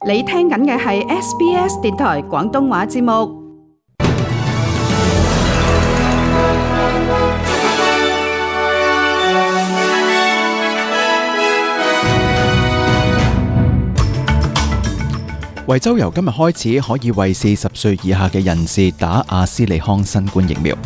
你聽緊嘅係 SBS 電台廣東話節目。維州由今日開始可以為40歲以下嘅人士打阿斯利康新冠疫苗。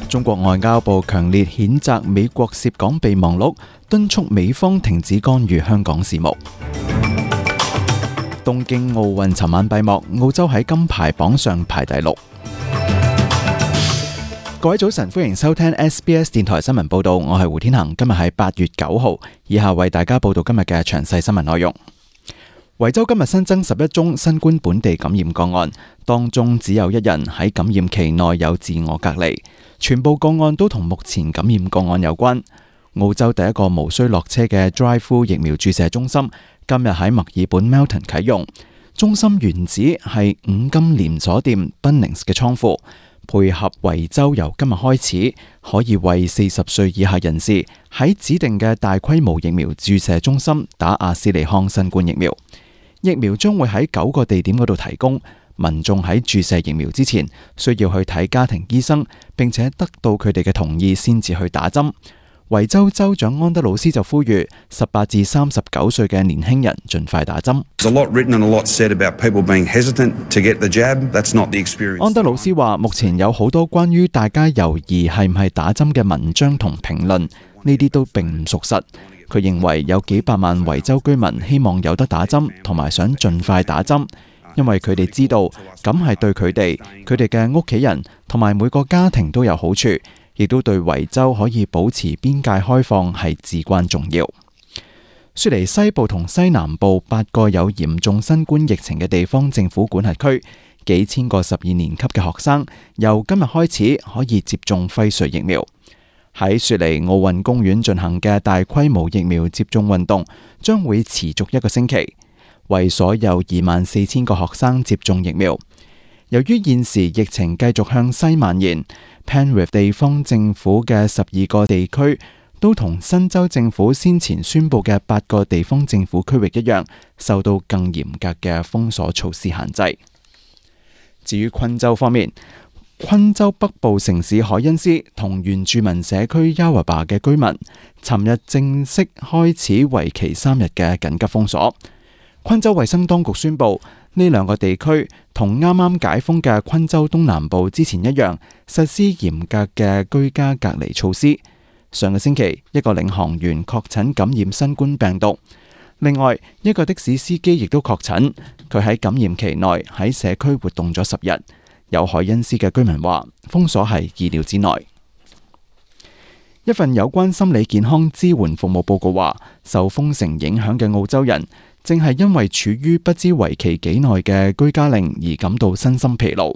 中國外交部強烈譴責美國涉港備忘錄，敦促美方停止干預香港事務。東京奧運尋晚閉幕，澳洲喺金牌榜上排第6。各位早晨，歡迎收聽 SBS 電台新聞報道，我係胡天恒。今日係8月9號，以下為大家報道今日嘅詳細新聞內容。維州今日新增11宗新冠本地感染個案，當中只有1人喺感染期內有自我隔離，全部個案都同目前感染個案有關。澳洲第一個無需落車嘅 Drive-through 疫苗注射中心今日喺墨爾本 Melton 啟用，中心原址係5金連鎖店 Bunnings 嘅倉庫，配合維州由今日開始可以為40歲以下人士喺指定嘅大規模疫苗注射中心打阿斯利康新冠疫苗。疫苗將會喺9個地點嗰度提供，民眾喺注射疫苗之前需要去睇家庭醫生，並且得到佢哋嘅同意先至去打針。維州州長安德魯斯就呼籲18至39歲嘅年輕人盡快打針。安德魯斯話，目前有好多關於大家猶豫係唔係打針嘅文章同評論，呢啲都並唔屬實。佢認為有幾百萬維州居民希望有得打針，同埋想盡快打針，因為佢哋知道咁係對佢哋、佢哋嘅屋企人同埋每個家庭都有好處，亦都對維州可以保持邊界開放係至關重要。雪梨西部同西南部8個有嚴重新冠疫情嘅地方政府管轄區，幾千個12年級嘅學生由今日開始可以接種輝瑞疫苗。喺雪梨奧運公園進行嘅大規模疫苗接種運動將會持續1個星期，為所有24,000個學生接種疫苗。由於現時疫情繼續向西蔓延， Penrith 地方政府嘅12個地區都同新州政府先前宣布嘅8個地方政府區域一樣，受到更嚴格嘅封鎖措施限制。至於昆州方面，昆州北部城市海恩斯同原住民社區 Yawaba 嘅居民尋日正式開始為期3日嘅緊急封鎖。昆州衛生當局宣布，呢2個地區同啱啱解封嘅昆州東南部之前一樣，實施嚴格嘅居家隔離措施。上個星期，一個領航員確診感染新冠病毒，另外一個的士司機亦都確診，佢喺感染期內喺社區活動咗10日。有海恩斯嘅居民話，封鎖係意料之內。一份有關心理健康支援服務報告話，受封城影響嘅澳洲人正係因為處於不知為期幾耐嘅居家令而感到身心疲勞。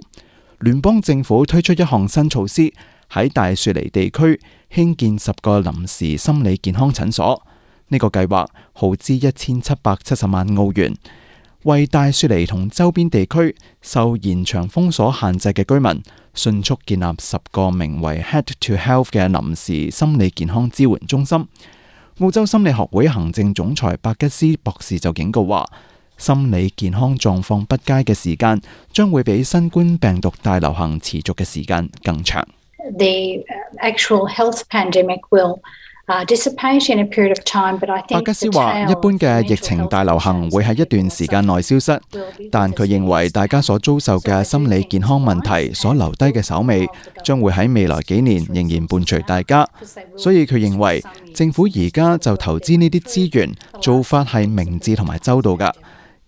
聯邦政府推出一項新措施，喺大雪梨地區興建10個臨時心理健康診所。呢個計劃耗資1770萬澳元。為大雪梨同周邊地區受延長封鎖限制嘅居民迅速建立10個名為 Head to Health 嘅臨時心理健康支援中心。澳洲心理學會行政總裁伯吉斯博士就警告話，心理健康狀況不佳嘅時間將會比新冠病毒大流行持續嘅時間更長。The actual health pandemic will dissipate in a period of time, but I think 伯吉斯話，一般嘅疫情大流行會喺一段時間內消失，但佢認為大家所遭受嘅心理健康問題所留低嘅手尾，將會喺未來幾年仍然伴隨大家。所以佢認為政府而家就投資呢啲資源，做法係明智同埋周到㗎，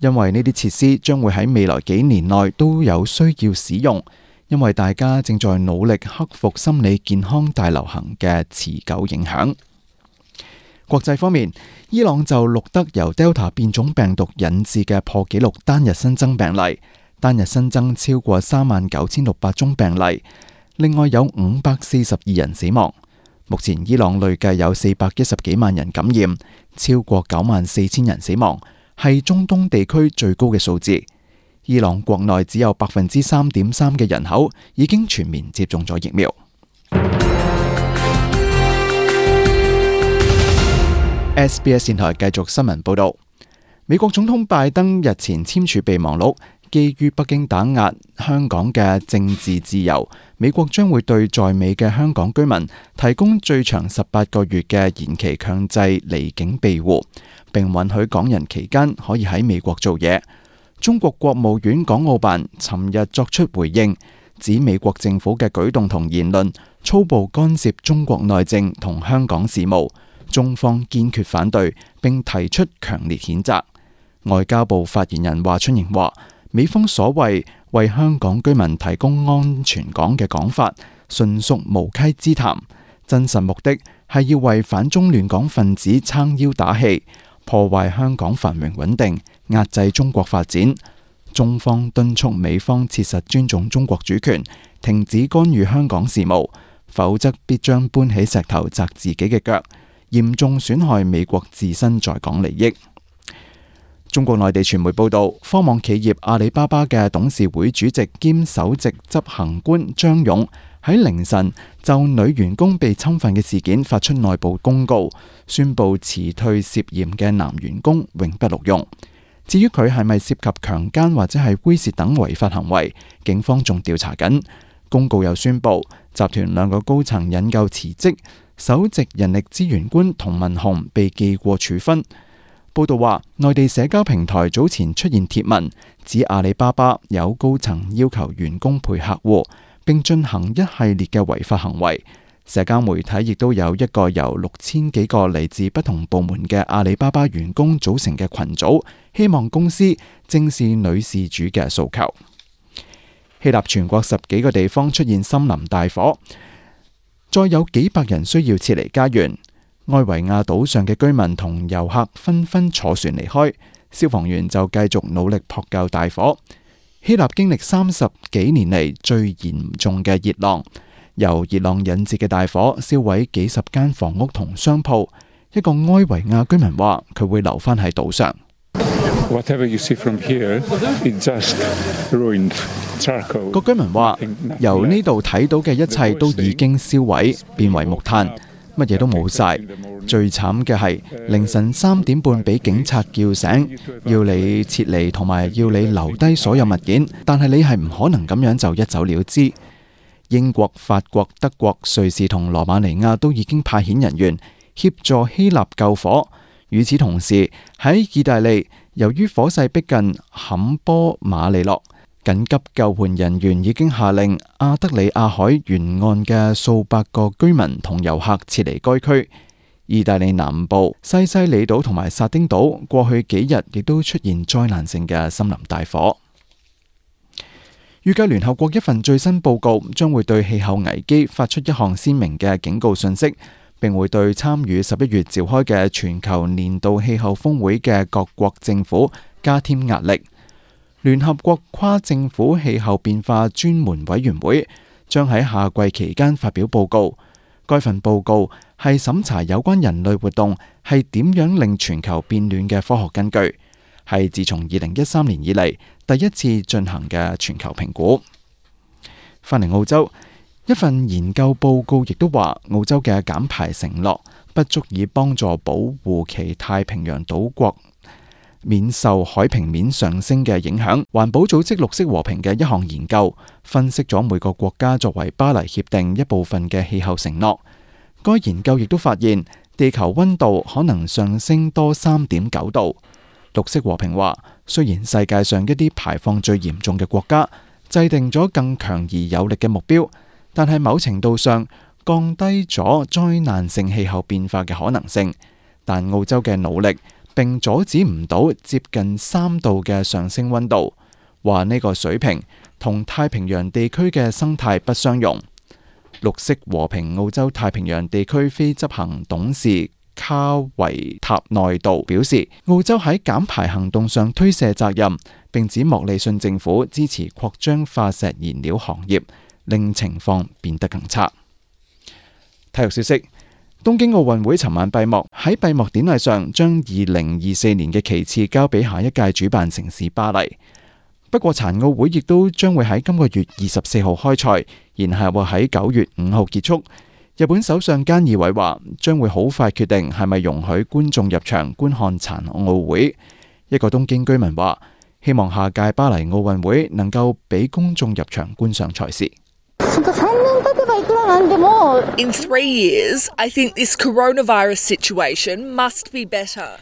因為呢啲設施將會喺未來幾年內都有需要使用，因為大家正在努力克服心理健康大流行嘅持久影響。國際方面，伊朗就錄得由 Delta 變種病毒引致嘅破紀錄單日新增病例，單日新增超過39,600宗病例，另外有542人死亡。目前伊朗累計有410幾萬人感染，超過94,000人死亡，係中東地區最高嘅數字。伊朗國內只有 3.3% 嘅人口已經全面接種咗疫苗。SBS 電台繼續新聞報道。美國總統拜登日前簽署備忘錄，基於北京打壓香港嘅政治自由，美國將會對在美嘅香港居民提供最長18個月嘅延期強制離境庇護，並允許港人期間可以喺美國做嘢。中國國務院港澳辦尋日作出回應，指美國政府嘅舉動同言論粗暴干涉中國內政同香港事務，中方堅決反對，並提出強烈譴責。外交部發言人華春瑩話，美方所謂為香港居民提供安全港嘅講法，純屬無稽之談，真實目的係要為反中亂港分子撐腰打氣，破壞香港繁榮穩定，壓制中國發展。中方敦促美方切實尊重中國主權，停止干預香港事務，否則必將搬起石頭砸自己嘅腳，嚴重損害美國自身在港利益。中國內地傳媒報道，科網企業阿里巴巴嘅董事會主席兼首席執行官張勇喺凌晨就女員工被侵犯嘅事件發出內部公告，宣布辭退涉嫌嘅男員工，永不錄用。至於佢係咪涉及強姦或者係猥褻等違法行為，警方仲調查緊。公告又宣布集團2個高層引咎辭職，首席人力資源官童文雄被記過處分。報道話，內地社交平台早前出現貼文，指阿里巴巴有高層要求員工陪客戶，並進行一系列嘅違法行為。社交媒體亦都有一個由6000幾個嚟自不同部門嘅阿里巴巴員工組成嘅群組，希望公司正視女事主嘅訴求。希臘全國10幾個地方出現森林大火，再有幾百人需要撤離家園。埃維亞島上嘅居民同遊客紛紛坐船離開，消防員就繼續努力撲救大火。希臘經歷30幾年嚟最嚴重嘅熱浪，由熱浪引致嘅大火燒毀幾十間房屋同商鋪。一個埃維亞居民話：佢會留返喺島上。個居民話：由呢度睇到嘅一切都已經燒毀，變為木炭。乜嘢都冇晒，最慘嘅係凌晨3點半俾警察叫醒，要你撤離同埋要你留低所有物件，但係你係唔可能咁樣就一走了之。英國、法國、德國、瑞士同羅馬尼亞都已經派遣人員協助希臘救火。與此同時，喺意大利，由於火勢逼近坎波馬利諾，緊急救援人員已經下令阿德里亞海沿岸嘅數百個居民同遊客撤離該區。意大利南部西西里島同埋薩丁島過去幾日亦都出現災難性嘅森林大火。預計聯合國一份最新報告將會對氣候危機發出一項鮮明嘅警告信息，並會對參與11月召開嘅全球年度氣候峰會嘅各國政府加添壓力。聯合國跨政府氣候變化專門委員會將喺夏季期間發表報告。該份報告係審查有關人類活動係點樣令全球變暖嘅科學根據，係自從2013年以嚟第一次進行嘅全球評估。返嚟澳洲，一份研究報告亦都話，澳洲嘅減排承諾不足以幫助保護其太平洋島國免受海平面上升嘅影響。環保組織綠色和平嘅一項研究分析咗每個國家作為巴黎協定一部分嘅氣候承諾。該研究亦都發現，地球溫度可能上升多3.9度。綠色和平話，雖然世界上一啲排放最嚴重嘅國家制定咗更強而有力嘅目標，但係某程度上降低咗災難性氣候變化嘅可能性。但澳洲嘅努力並阻止唔到接近3度嘅上升溫度，話呢個水平同太平洋地區嘅生態不相容。綠色和平澳洲太平洋地區非執行董事卡維塔內道表示，澳洲喺減排行動上推卸責任，並指莫里遜政府支持擴張化石燃料行業，令情況變得更差。體育消息：東京奧運會尋晚閉幕，喺閉幕典禮上將2024年嘅旗幟交俾下一屆主辦城市巴黎。不過殘奧會亦都將會喺今個月24號開賽，然後會喺9月5號結束。日本首相菅義偉話將會好快決定係咪容許觀眾入場觀看殘奧會。一個東京居民話：希望下屆巴黎奧運會能夠俾公眾入場觀賞賽事。In 3 years, I think this coronavirus situation must be better.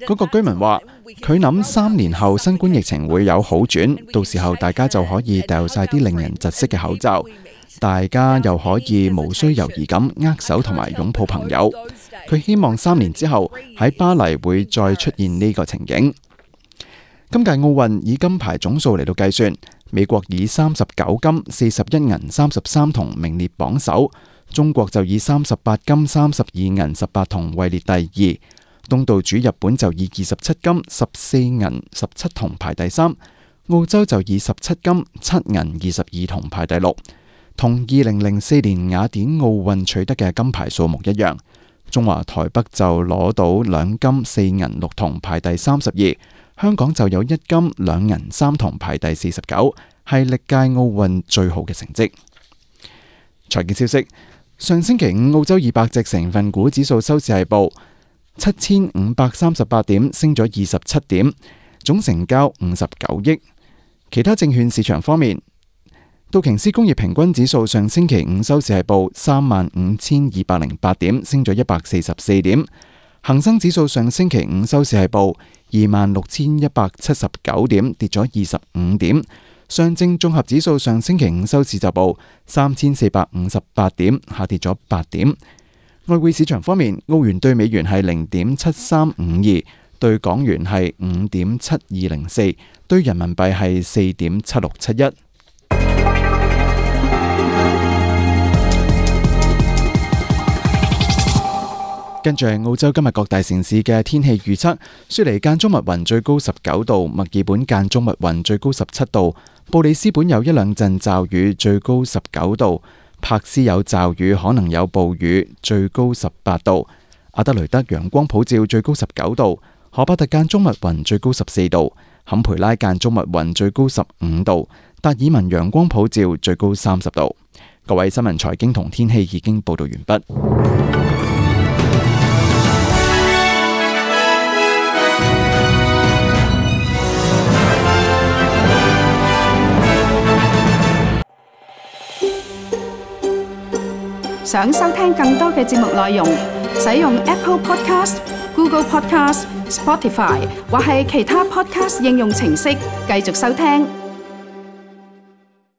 嗰個居民話：佢諗3年後新冠疫情會有好轉，到時候大家就可以掉晒啲令人窒息嘅口罩，大家又可以無需猶豫咁握手同埋擁抱朋友。佢希望3年之後喺巴黎會再出現呢個情景。今屆奧運以金牌總數嚟到計算，美國以39金、41銀、33銅名列榜首，中國就以38金、32銀、18銅位列第二。東道主日本就以27金、14銀、17銅排第三，澳洲就以17金、7銀、22銅排第六，同2004年雅典奧運取得嘅金牌數目一樣。中華台北就攞到2金、4銀、6銅排第32，香港就有1金、2銀、3銅排第49，係歷屆奧運最好嘅成績。財經消息，上星期五澳洲200隻成分股指數收市係報7538點，升咗27點，總成交59億。其他證券市場方面，道瓊斯工業平均指數上星期五收市係報35208點，升咗144點。恒生指數上星期五收市係報26179點，跌咗25點。上證綜合指數上星期五收市就報3458點，下跌咗8點。外匯市場方面，澳元對美元係0.7352，對港元係5.7204，對人民幣係4.7671。跟住係澳洲今日各大城市嘅天氣預測：雪梨間中密雲，最高19度；墨爾本間中密雲，最高17度；布里斯本有1兩陣驟雨，最高19度。柏斯有驟雨，可能有暴雨，最高18度。阿德雷德陽光普照，最高19度。荷巴特間中密雲，最高14度。坎培拉間中密雲，最高15度。達爾文陽光普照，最高30度。各位，新聞財經同天氣已經報道完畢。想收聽更多嘅節目內容，使用 Apple Podcast、Google Podcast、Spotify 或係其他 Podcast 應用程式繼續收聽。